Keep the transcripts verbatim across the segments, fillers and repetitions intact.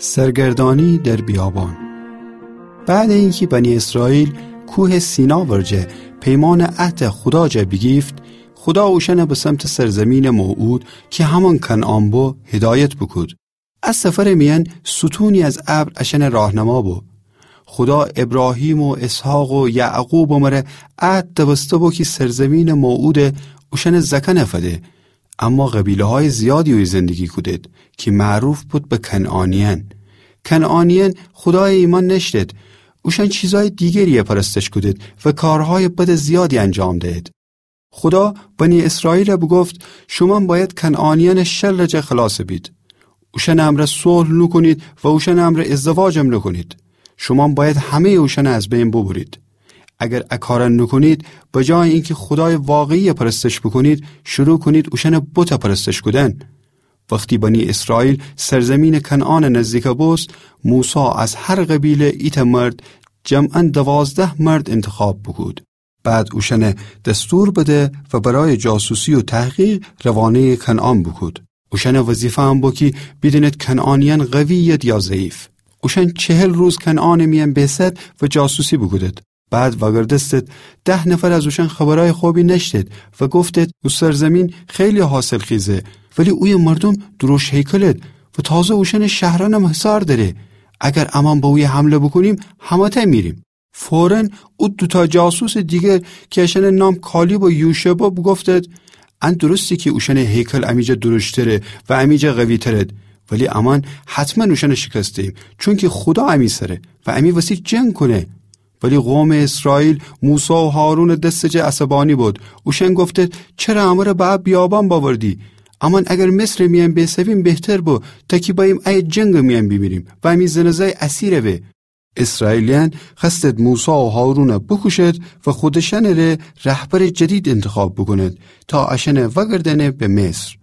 سرگردانی در بیابان. بعد اینکی بنی اسرائیل کوه سینا ورجه پیمان عهد خودا جا بیگیفت، خودا اوشأن به سمت سرزمین موعود کی همأن کنعان بو هدایت بوکود. ا سفر میأن ستونی از ابر اشأن راهنما بو. خودا ابراهیم و اسحاق و یعقوب مره عهد دوسته بو کی سرزمین موعود اوشأن زأکأن فده. اما قبیله‌های زیادی اویه زندگی کودید کی معروف بود به کنعانیأن. کنعانیأن خودای ایمأن نأشتید. اوشأن چیزهای دیگری پرستش کودید و کارهای بد زیادی انجام دهید. خودا بنی اسرائیل بوگفت: شومأن بأید کنعانیأن شر جا خلاص بید. اوشأن امرأ صلح نوکونید و اوشأن امرأ ازدواجم نوکونید. شومأن بأید همه‌ی اوشأن از بین ببرید. اگر ا کار نوکونید، به جای اینکی خودای واقعی پرستش بوکونید، شروع کونید اوشأن بت پرستش کودن. وختی بنی اسرائیل سرزمین کنعان نزدیک بوست، موسی از هر قبیله ایتأ مرد، جمعاً دوازده مرد انتخاب بوکود. بعد اوشأن دستور بده و برای جاسوسی و تحقیق روانه‌ی کنعان بوکود. اوشأن وظیفه ام بو کی بیدینید کنعانیأن قوی‌ید یا ضعیف. اوشأن چهل روز کنعان میأن بیسد و جاسوسی بوکودید. بعد وأگردستید، ده نفر از اوشأن خبرای خوبی نأشتید و گفتید: او سرزمین خیلی حاصلخیزه، ولی اویه مردوم دروشت هیکلید و تازه اوشأن شهرأنم حصار دأره. اگر امأن به اویه حمله بوکونیم، همه‌تأ میریم. فوراً او دوتأ جاسوس دیگر کی اشأن نام کالیب و یوشع بو بوگفتید: ان درسته کی اوشأن هیکل امی جا دروشتره و امی جا قوی‌ترید، ولی امأن حتماً اوشأن شکست دهیم، چونکی خودا امی سره و امی وسی جنگ کونه. ولی قوم اسرائیل موسی و هارون دست جا عصبانی بود. اوشأن گفتید: چره امره به ا بیابان بأوردی؟ امأن اگر مصر میأن بیسویم بهتر بو، تا کی بأییم ای جنگ میأن بیمیریم و امی زن و زأی اسیر به. اسرائیلیأن خوأستید موسی و هارون بوکوشید و خودشأنٚ ره رهبرٚ جدید انتخاب بوکونید تا اشأن وأگردأنه به مصر.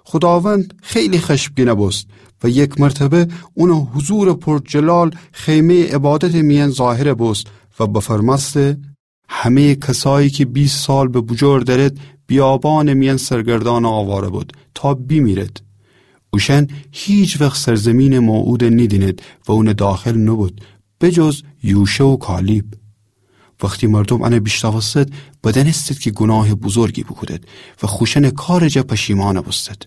خوداوند خیلی خشمگین بوست و یک مرتبه اونٚ حضورٚ پرجلال خیمه‌یٚ عبادتٚ میأن ظاهر بوست و بفرمأسته: همه‌یٚ کسایی کی بیست سال به بوجور دأرید، بیابانٚ میأن سرگردان و آواره بود تا بیمیرید. اوشأن هیچ وخت سرزمینٚ موعود نیدینید و اونٚ داخل نوبود، به جز یوشع و کالیب. وختی مردوم ان بیشنوستید، بدأنستید کی گوناهٚ بزرگی بوکودید و خوشأنٚ کارٚ جا پشیمان بوستید.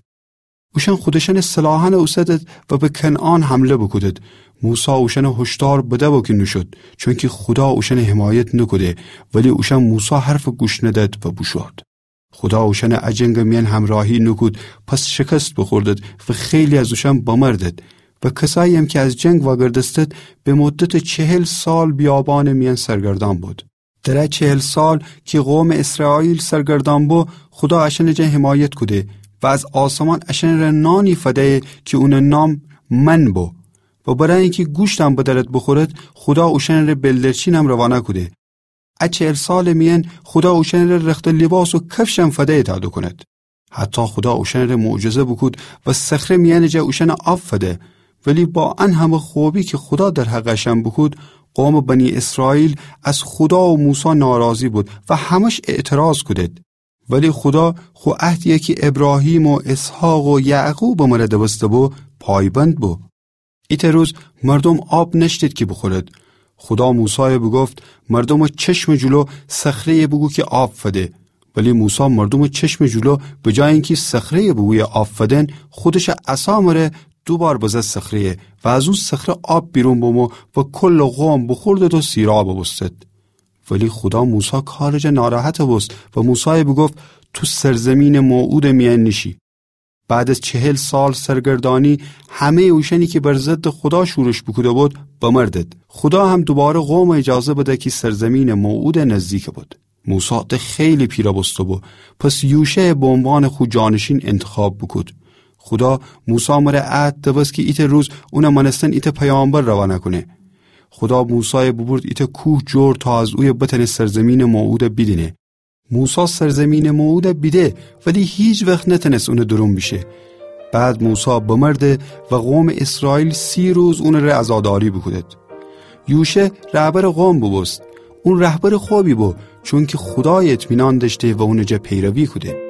اوشأن خودشأنٚ سلاحأن اوسدید و به کنعان حمله بوکودید. موسی اوشأن هشدار بده بو کی نوشود، چونکی خودا اوشأن حمایت نوکوده، ولی اوشأن موسی حرف گوش ندید و بوشود. خودا اوشأن ا جنگٚ میأن همراهی نوکود، پس شکست بوخوردید و خیلی از اوشأن بمردید. و کسایی‌یم کی از جنگ وأگردستید، به مدتٚ چهل سال بیابانٚ میأن سرگردان بود. در ا چهل سال کی قومٚ اسرائیل سرگردان بو، خودا اشأنٚ جا حمایت کوده و از آسمان اشأنٚ ره نانی فده‌یه کی اونٚ نام من بو. و برای اینکی گوشتم بدأرید بوخورید، خودا اوشأنٚ ره بلدرچینم روانه کوده. ا چهل سالٚ میأن خودا اوشأنٚ ره رخت و لیباس و کفشم فده‌یه تا دوکونید. حتی خودا اوشأنٚ ره معجزه بوکود و صخره میأنٚ جا اوشأن آب فده. ولی با ان همه خوبی کی خودا در حقٚ اشأن بوکود، قومٚ بنی اسرائیل از خودا و موسی ناراضی بود و همش اعتراض کودید. ولی خودا خو عهدیی کی ابراهیم و اسحاق و یعقوبٚ مره دوسته بو، پایبند بو. ایتأ روز مردوم آب نأشتید کی بوخورید. خودا موسای بوگفت: مردومٚ چشمٚ جلو صخره‌یه بوگو کی آب فده. ولی موسی مردومٚ چشمٚ جلو به جای اینکی صخره‌یه بوگویه آب فدن، خودشٚ عصا مره دو بار بزد صخره‌یه و از او صخره آب بیرون بمو و کلٚ قوم بوخوردید و سیراب بوستید. ولی خودا موسی کارٚ جا ناراحت بوست و موسای بوگفت: تو سرزمینٚ موعودٚ میأن نیشی. بعد از چهل سال سرگردانی، همه‌یٚ اوشأنی کی بر ضدٚ خودا شورش بوکوده بود، بمردید. خودا هم دوباره قوم اجازه بده کی سرزمینٚ موعود نزدیک بود. موسی ده خیلی پیره بوسته بو، پس یوشع به عنوانٚ خو جانشین انتخاب بوکود. خودا موسی مره عهد دوست کی ایتأ روز اونٚ مأنستن ایتأ پیامبر روانه کونه. خودا موسای بوبورد ایتأ کوه جور تا از اویه بتأنه سرزمینٚ موعود بیدینه. موسی سرزمینٚ موعود بیده، ولی هیچ وخت نتأنست اونٚ دورون بیشه. بعد موسی بمرده و قومٚ اسرائیل سی روز اونٚ ره عزاداری بوکودید. یوشع رهبرٚ قوم بوبوست. اون رهبرٚ خوبی بو، چونکی خودای اطمینان دأشته و اونٚ جا پیروی کوده.